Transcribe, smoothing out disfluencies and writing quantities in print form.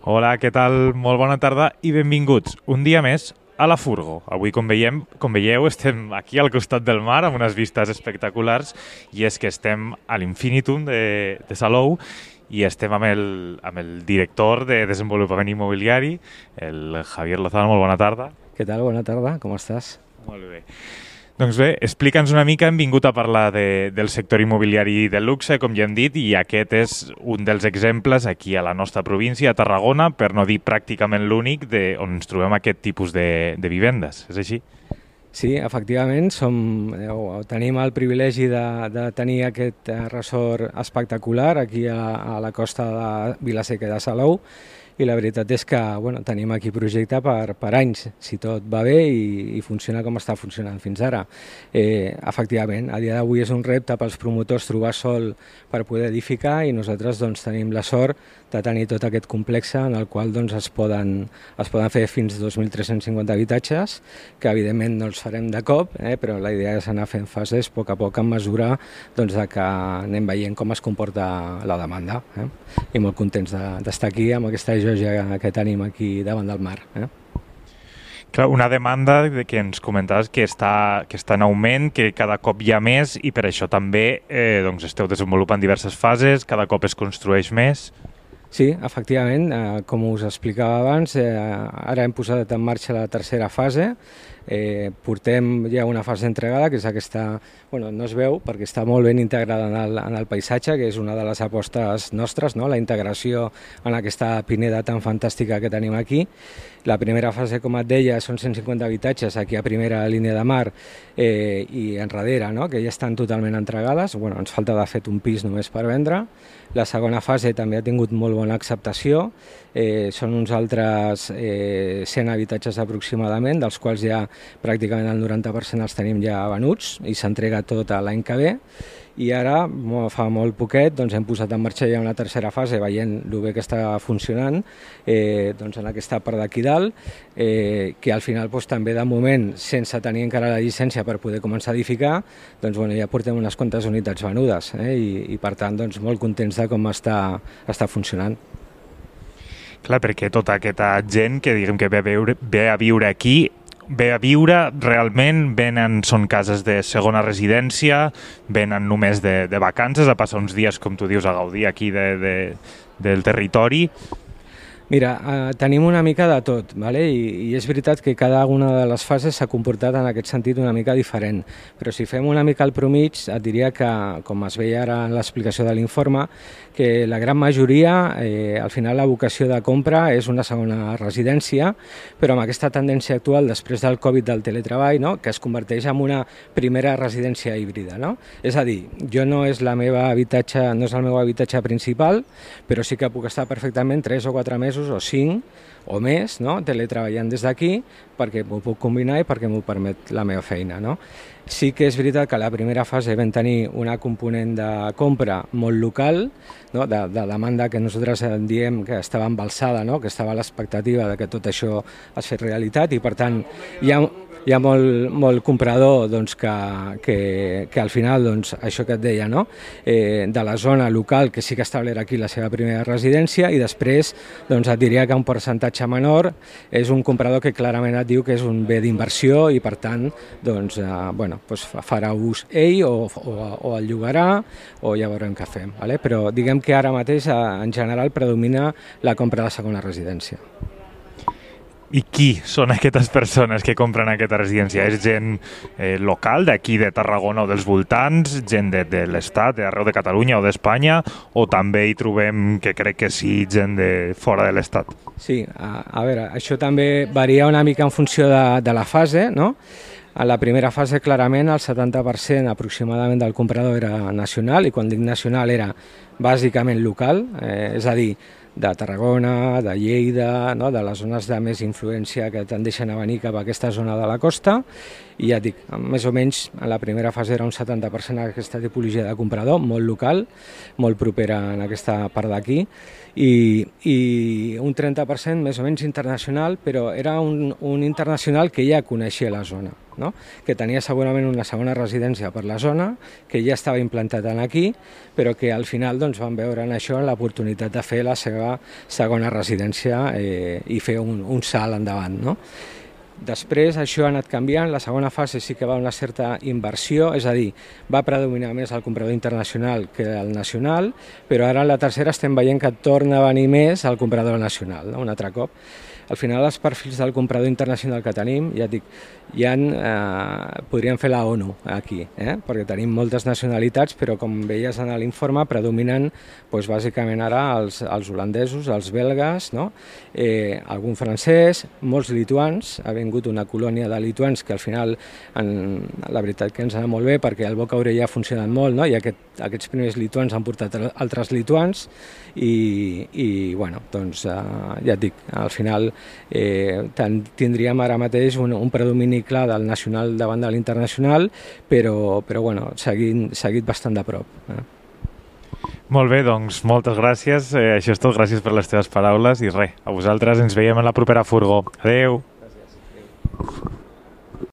Hola, què tal? Molt bona tarda i benvinguts un dia més a la Furgo. Avui, com veieu, estem aquí al costat del mar amb unes vistes espectaculars i és que estem a l'Infinitum de Salou i estem amb el director de Desenvolupament Immobiliari, el Javier Lozano. Molt bona tarda. Què tal? Bona tarda, com estàs? Molt bé. Doncs bé, explica'ns una mica, hem vingut a parlar del sector immobiliari del luxe, com ja hem dit, i aquest és un dels exemples aquí a la nostra província, a Tarragona, per no dir pràcticament l'únic, on ens trobem aquest tipus de vivendes. És així? Sí, efectivament, tenim el privilegi de tenir aquest ressort espectacular aquí a la costa de Vila-seca de Salou, i la veritat és que tenim aquí projecte per anys, si tot va bé i funciona com està funcionant fins ara. Efectivament, a dia d'avui és un repte pels promotors trobar sòl per poder edificar i nosaltres tenim la sort de tenir tot aquest complex en el qual es poden fer fins a 2.350 habitatges, que evidentment no els farem de cop, però la idea és anar fent fases a poc en mesura de que anem veient com es comporta la demanda. I molt contents d'estar aquí amb aquesta joia que tenim aquí davant del mar. Clar, una demanda que ens comentaves que està en augment, que cada cop hi ha més i per això també esteu desenvolupant diverses fases, cada cop es construeix més. Sí, efectivament, com us explicava abans, ara hem posat en marxa la tercera fase. Portem ja una fase entregada, que és aquesta, no es veu perquè està molt ben integrada en el paisatge, que és una de les apostes nostres, la integració en aquesta pineda tan fantàstica que tenim aquí. La primera fase, com et deia, són 150 habitatges aquí a primera línia de mar i enrere, que ja estan totalment entregades. Ens falta de fet un pis només per vendre. La segona fase també ha tingut molt bona acceptació. Són uns altres 100 habitatges aproximadament, dels quals ja pràcticament el 90% els tenim ja venuts i s'entrega tot l'any que ve. I ara, fa molt poquet, hem posat en marxa ja una tercera fase, veient el bé que està funcionant en aquesta part d'aquí dalt, que al final també de moment, sense tenir encara la llicència per poder començar a edificar, ja portem unes quantes unitats venudes i per tant molt contents de com està funcionant. Clar, perquè tota aquesta gent que diguem que ve a viure aquí, ve a viure, realment són cases de segona residència, venen només de vacances, a passar uns dies, com tu dius, a gaudir aquí del territori. Mira, tenim una mica de tot, i és veritat que cada una de les fases s'ha comportat en aquest sentit una mica diferent, però si fem una mica el promig, et diria que, com es veia ara en l'explicació de l'informe, que la gran majoria, al final la vocació de compra és una segona residència, però amb aquesta tendència actual després del Covid del teletreball, que es converteix en una primera residència híbrida. És a dir, no és el meu habitatge principal, però sí que puc estar perfectament 3 o 4 mesos o 5 o més teletreballant des d'aquí perquè m'ho puc combinar i perquè m'ho permet la meva feina. Sí que és veritat que a la primera fase vam tenir una component de compra molt local, de demanda que nosaltres diem que estava embalsada, que estava a l'expectativa de que tot això es fes realitat i per tant hi ha molt comprador que al final, això que et deia, de la zona local que sí que establirà aquí la seva primera residència i després et diria que un percentatge menor és un comprador que clarament et diu que és un bé d'inversió i per tant farà ús ell o el llogarà o ja veurem què fem. Però diguem que ara mateix en general predomina la compra de segona residència. I qui són aquestes persones que compren aquesta residència? És gent local d'aquí de Tarragona o dels voltants, gent de l'Estat, d'arreu de Catalunya o d'Espanya, o també hi trobem, que crec que sí, gent de fora de l'Estat? Sí, a veure, això també varia una mica en funció de la fase, A la primera fase, clarament, el 70% aproximadament del comprador era nacional, i quan dic nacional era bàsicament local, és a dir, de Tarragona, de Lleida, de les zones de més influència que tendeixen a venir cap a aquesta zona de la costa, I ja et dic, més o menys en la primera fase era un 70% aquesta tipologia de comprador, molt local, molt propera en aquesta part d'aquí, i un 30% més o menys internacional, però era un internacional que ja coneixia la zona, no? Que tenia segurament una segona residència per la zona, que ja estava implantat aquí, però que al final doncs, van veure en això l'oportunitat de fer la seva segona residència i fer un salt endavant, no? Després això ha anat canviant, la segona fase sí que va una certa inversió, és a dir, va predominar més el comprador internacional que el nacional, però ara en la tercera estem veient que torna a venir més el comprador nacional, no? Un altre cop. Al final els perfils del comprador internacional que tenim, ja et dic, podríem fer la ONU aquí, perquè tenim moltes nacionalitats, però com veies en l'informe predominen doncs, bàsicament ara els holandesos, els belgues, no? Algun francès, molts lituans, ha vingut una colònia de lituans que al final la veritat que ens ha anat molt bé perquè el boca-orella ha funcionat molt, no? I aquests primers lituans han portat altres lituans i bueno, doncs ja et dic, al final tindríem ara mateix un predomini clar del nacional davant de l'internacional, però bueno, seguit bastant de prop. Molt bé, doncs moltes gràcies. Això és tot, gràcies per les teves paraules i res, a vosaltres ens veiem a la propera furgó. Adeu!